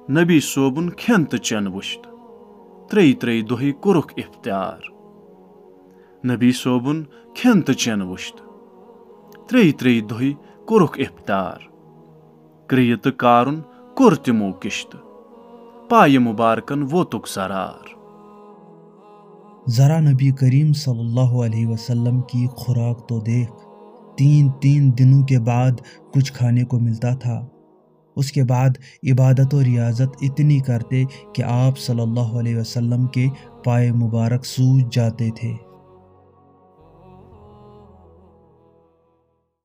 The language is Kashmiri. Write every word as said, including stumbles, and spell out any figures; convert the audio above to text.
نبی صٲبُن کھٮ۪ن تہٕ چٮ۪ن وُچھتھ، ترٛیٚیہِ ترٛیٚیہِ دۄہہِ کوٚرُکھ افطار۔ نبی صٲبُن کھٮ۪ن تہٕ چٮ۪ن وُچھتھ، ترٛیٚیہِ ترٛیٚیہِ دۄہہِ کوٚرُکھ افطار۔ کرٛیہِ تہٕ کارُن کوٚر تِمو کشتہٕ، پایہِ مبارکن ووتُکھ ضرار۔ ذرا نبی کریم صلی اللہ علیہ وسلم کی خوراک تو دیکھ، تین تین دنوں کے بعد کچھ کھانے کو ملتا تھا۔ اس کے بعد عبادت و ریاضت اتنی کرتے کہ آپ صلی اللہ علیہ وسلم کے پائے مبارک سوج جاتے تھے۔